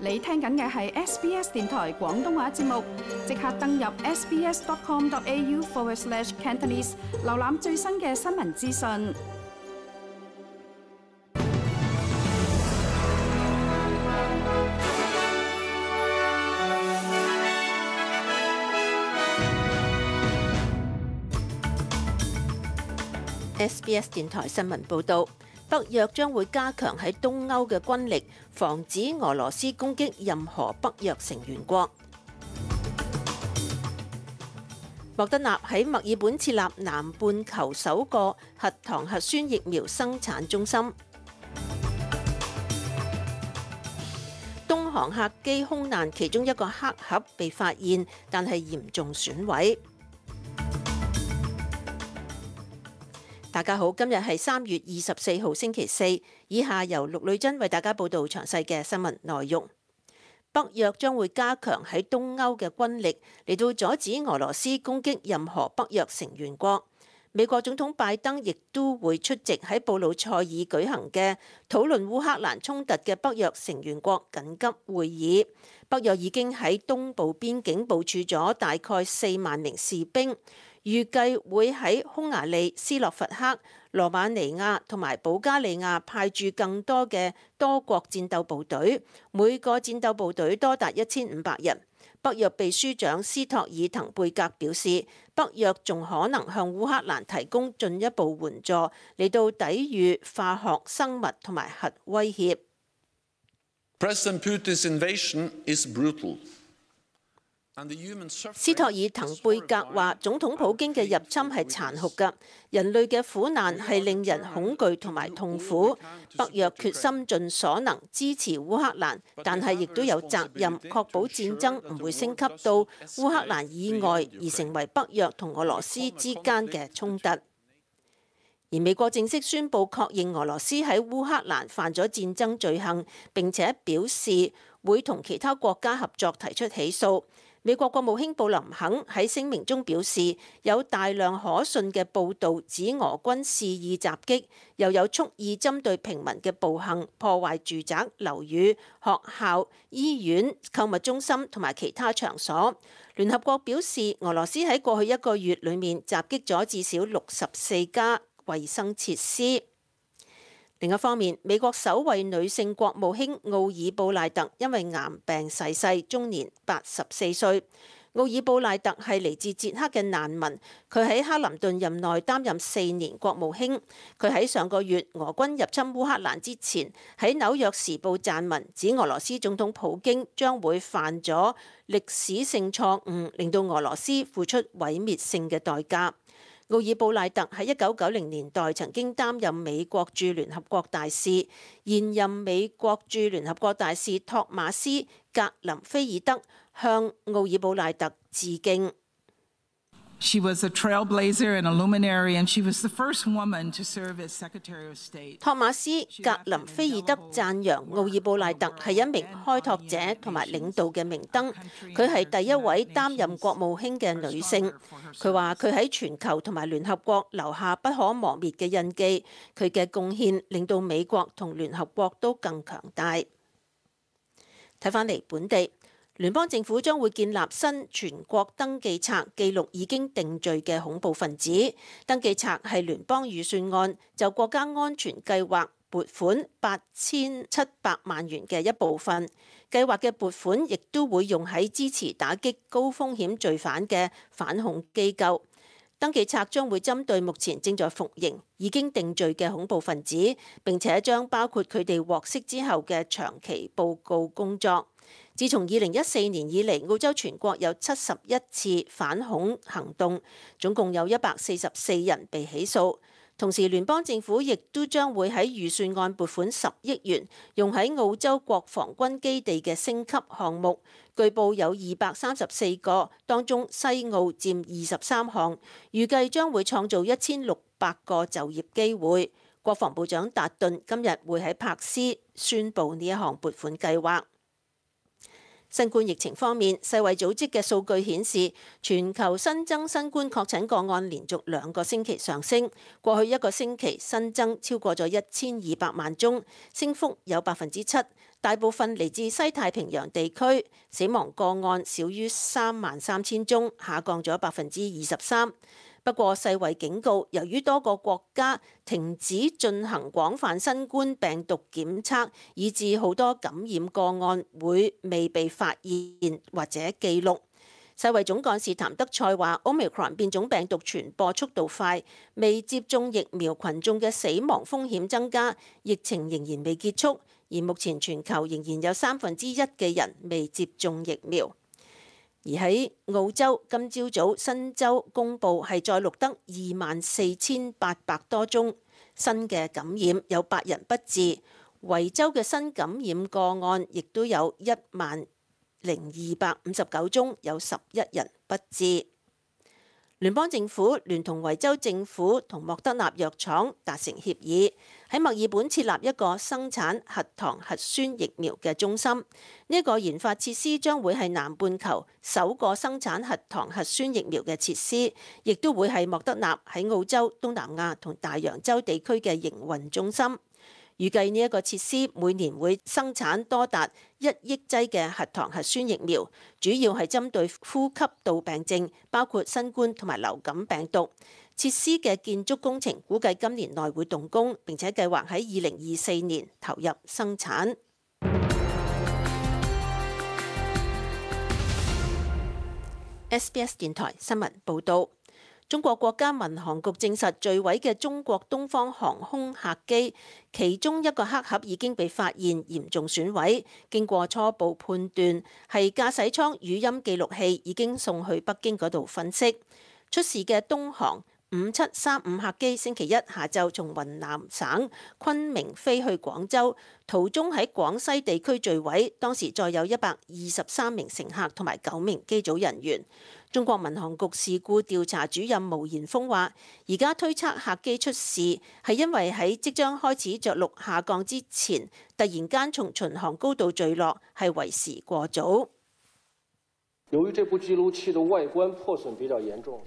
你聽緊嘅係 SBS 電台廣東話節目，即刻登入 sbs.com.au/Cantonese 瀏覽最新嘅新聞資訊。SBS 電台新聞報導，北約將會加強喺東歐嘅軍力，防止俄羅斯攻擊任何北約成員國。莫德納喺墨爾本設立南半球首個核糖核酸疫苗生產中心。東航客機空難其中一個黑盒被發現，但係嚴重損毀。大家好，今日係3月24號星期四，以下由陸女珍為大家報道詳細嘅新聞內容。北約將會加強喺東歐嘅軍力，嚟到阻止俄羅斯攻擊任何北約成員國。美國總統拜登亦都會出席喺布魯塞爾舉行嘅討論烏克蘭衝突嘅北約成員國緊急會議。北約已經喺東部邊境部署咗大概4萬名士兵。預計會喺匈牙利、斯洛伐克、羅馬尼亞同埋保加利亞派駐更多嘅多國戰鬥部隊，每個戰鬥部隊多達1500人。北約秘書長斯托爾滕貝格表示，北約仲可能向烏克蘭提供進一步援助，嚟到抵禦化學、生物同埋核威脅。President Putin's invasion is brutal. 斯托爾滕貝格話：總統普京嘅入侵係殘酷㗎，人類嘅苦難係令人恐懼同埋痛苦。北約決心盡所能支持烏克蘭，但係亦都有責任確保戰爭唔會升級到烏克蘭以外，而成為北約同俄羅斯之間嘅衝突。而美國正式宣布確認俄羅斯喺烏克蘭犯咗戰爭罪行，並且表示會同其他國家合作提出起訴。美國國務卿布林肯喺聲明中表示，有大量可信嘅報導指俄軍肆意襲擊，又有蓄意針對平民嘅暴行，破壞住宅、樓宇、學校、醫院、購物中心同埋其他場所。聯合國表示，俄羅斯喺過去1個月裡面襲擊咗至少64家衛生設施。另一方面，美國首位女性國務卿奧爾布賴特因為癌病逝世，終年84歲。奧爾布賴特係嚟自捷克嘅難民，佢喺克林頓任內擔任4年國務卿。佢喺上個月俄軍入侵烏克蘭之前，喺紐約時報撰文指俄羅斯總統普京將會犯咗歷史性錯誤，令到俄羅斯付出毀滅性嘅代價。奧爾布賴特喺1990年代曾經擔任美國駐聯合國大使，現任美國駐聯合國大使托馬斯·格林菲爾德向奧爾布賴特致敬。She was a trailblazer and a luminary, and she was the first woman to serve as Secretary of State. 托馬斯·格林菲爾德讚揚奧爾布賴特係一名開拓者同埋領導嘅明燈，佢係第一位擔任國務卿嘅女性。佢話佢喺全球同埋聯合國留下不可磨滅嘅印記，佢嘅貢獻令到美國同聯合國都更強大。睇返嚟本地。聯邦政府將會建立新全國登記冊，記錄已經定罪嘅恐怖分子。登記冊係聯邦預算案就國家安全計劃撥款8700萬元嘅一部分。計劃嘅撥款亦都會用喺支持打擊高風險罪犯嘅反恐機構。登記冊將會針對目前正在服刑、已經定罪嘅恐怖分子，並且將包括佢哋獲釋之後嘅長期報告工作。自從2014年以嚟，澳洲全國有71次反恐行動，總共有144人被起訴。同時，聯邦政府亦都將會喺預算案撥款10億元，用喺澳洲國防軍基地嘅升級項目。據報有234個，當中西澳佔23項，預計將會創造1600個就業機會。國防部長達頓今日會喺柏斯宣布呢一項撥款計劃。新冠疫情方面，世衛組織嘅數據顯示，全球新增新冠確診個案連續2個星期上升。過去1個星期新增超過咗1200萬宗，升幅有7%，大部分嚟自西太平洋地區。死亡個案少於33000宗，下降咗23%。不過世衛警告，由於多個國家停止進行廣泛新冠病毒檢測，以致好多感染個案會未被發現或者記錄。世衛總幹事譚德塞話 Omicron 變種病毒傳播速度快，未接種疫苗群眾嘅死亡風險增加，疫情仍然未結束，而目前全球仍然有1/3嘅人未接種疫苗。而喺澳洲，今朝早新州公佈係再錄得24800多宗新嘅感染，有8人不治。維州嘅新感染個案亦都有10259宗，有11人不治。聯邦政府聯同維州政府同莫德納藥廠達成協議，喺墨爾本設立一個生產核糖核酸疫苗嘅中心。呢個研發設施將會係南半球首個生產核糖核酸疫苗嘅設施，亦都會係莫德納喺澳洲、東南亞同大洋洲地區嘅營運中心。預計呢一個設施每年會生產多達1億劑嘅核糖核酸疫苗，主要係針對呼吸道病症，包括新冠同埋流感病毒。設施嘅建築工程估計今年內會動工，並且計劃喺2024年投入生產。SBS 電台新聞報導。中國國家民航局證實墜毀嘅中國東方航空客機，其中一個黑盒已經被發現嚴重損毀。經過初步判斷，係駕駛艙語音記錄器已經送去北京嗰度分析。出事嘅東航5735客機星期一下晝從雲南省昆明飛去廣州，途中喺廣西地區墜毀，當時載有123名乘客同埋9名機組人員。中國民航局事故調查主任毛延峰話，而家推測客機出事係因為喺即將開始着陸下降之前，突然間從巡航高度墜落，係為時過早。由於這部記錄器的外觀破損比較嚴重，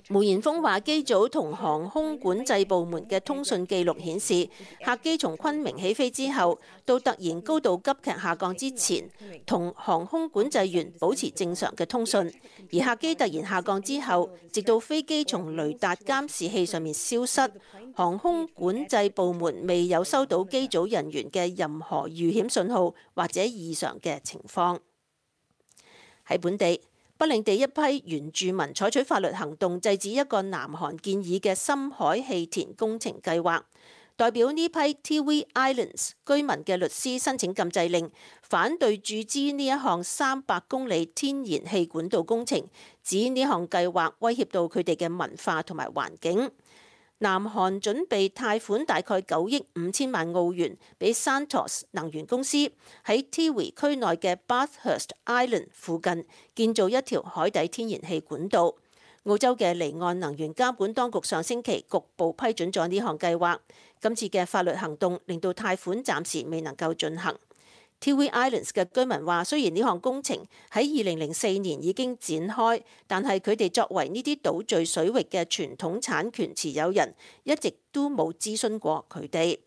毛延峰話：機組同航空管制部門嘅通訊記錄顯示，客機從昆明起飛之後，到突然高度急劇下降之前，同航空管制員保持正常嘅通訊；而客機突然下降之後，直到飛機從雷達監視器上面消失，航空管制部門未有收到機組人員嘅任何遇險信號或者異常嘅情況。喺本地，北領地一批原住民採取法律行動，制止一個南韓建議嘅深海氣田工程計劃。代表呢批 Tiwi Islands 居民嘅律師申請禁制令，反對注資呢一項300公里天然氣管道工程，指呢項計劃威脅到佢哋嘅文化同埋環境。南韓準備貸款大概9億5千萬澳元俾 Santos 能源公司喺 Tiwi 區內嘅 Bathurst Island 附近建造一條海底天然氣管道。澳洲嘅離岸能源監管當局上星期局部批准咗呢項計劃。今次嘅法律行動令到貸款暫時未能夠進行。Tiwi Islands 嘅居民話，雖然呢項工程喺2004年已經展開，但係佢哋作為呢啲島嶼水域嘅傳統產權持有人，一直都冇諮詢過佢哋。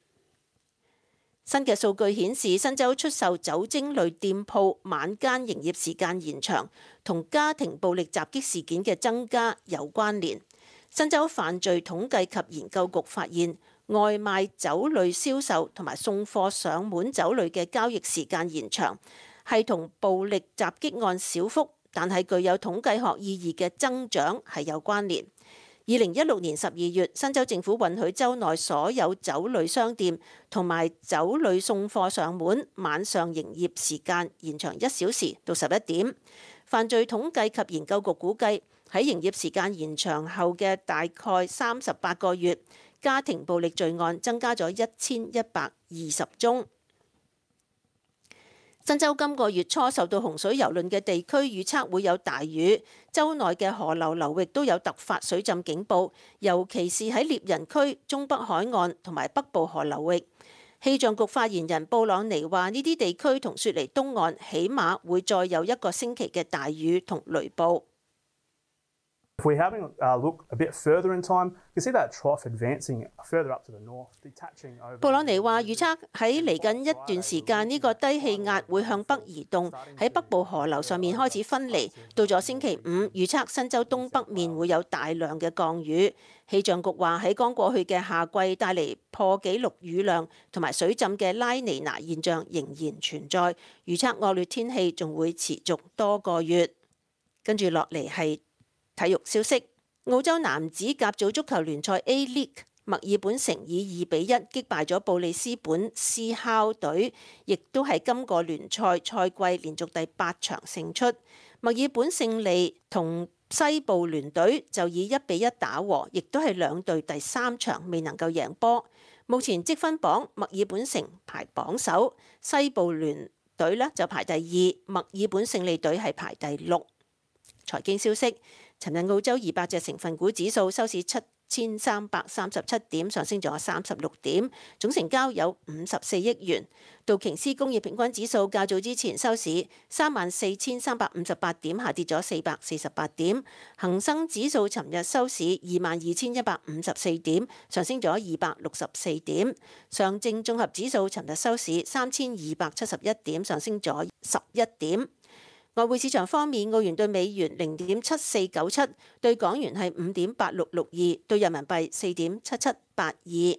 新嘅數據顯示，新州出售酒精類店鋪晚間營業時間延長，同家庭暴力襲擊事件嘅增加有關聯。新州犯罪統計及研究局發現，外賣酒類銷售同埋送貨上門酒類嘅交易時間延長，係同暴力襲擊案小幅但係具有統計學意義嘅增長係有關聯。2016年12月，新州政府允許州內所有酒類商店同埋酒類送貨上門晚上營業時間延長1小時到11點。犯罪統計及研究局估計，喺營業時間延長後嘅大概38個月，家庭暴力罪案增加咗1120宗。新州今個月初受到洪水蹂躪嘅地區預測會有大雨，州內嘅河流流域都有突發水浸警報，尤其是喺獵人區、中北海岸同埋北部河流域。氣象局發言人布朗尼話：呢啲地區同雪梨東岸起碼會再有1個星期嘅大雨同雷暴。If we're having a look a bit further in time, you can see that trough advancing further up to the north, detaching over. 布朗尼話：預測喺嚟緊一段時間，呢個低氣壓會向北移動，喺北部河流上面開始分離。到咗星期五，預測新州東北面會有大量嘅降雨。氣象局話喺剛過去嘅夏季帶嚟破紀錄雨量同埋水浸嘅拉尼娜現象仍然存在，預測惡劣天氣仲會持續多個月。跟住落嚟係體育消息，澳洲男子甲組足球聯賽 A-League， 墨爾本城以2-1擊敗咗布里斯本斯考隊，亦都係今個聯賽賽季連續第8場勝出。墨爾本勝利同西部聯隊就以1-1打和，亦都係兩隊第3場未能夠贏波。目前積分榜，墨爾本城排榜首，西部聯隊呢就排第2，墨爾本勝利隊係排第6。財經消息，尋日澳洲200隻成分股指數收市7337點，上升咗36點，總成交有54億元。道瓊斯工業平均指數較早之前收市34358點，下跌咗448點。恒生指數尋日收市22154點，上升咗264點。上證綜合指數尋日收市3271點，上升咗11點。外匯市場方面，澳元對美元0.7497，對港元係5.8662，對人民幣4.7782。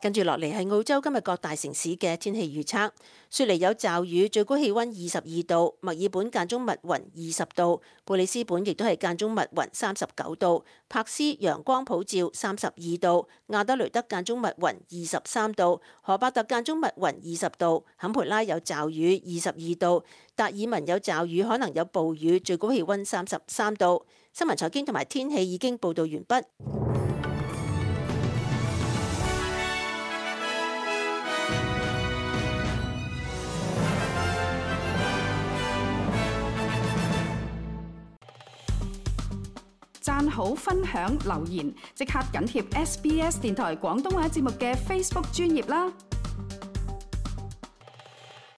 跟住落嚟係澳洲今日各大城市嘅天氣預測。雪梨有驟雨，最高氣溫22度；墨爾本間中密雲20度；布里斯本亦都係間中密雲39度；柏斯陽光普照32度；亞德雷德間中密雲23度；荷伯特間中密雲20度；坎培拉有驟雨22度；達爾文有驟雨，可能有暴雨，最高氣溫33度。新聞財經同埋天氣已經報導完畢。讚好、分享、留言，即刻緊貼SBS 電台廣東話節目嘅 Facebook 專頁啦！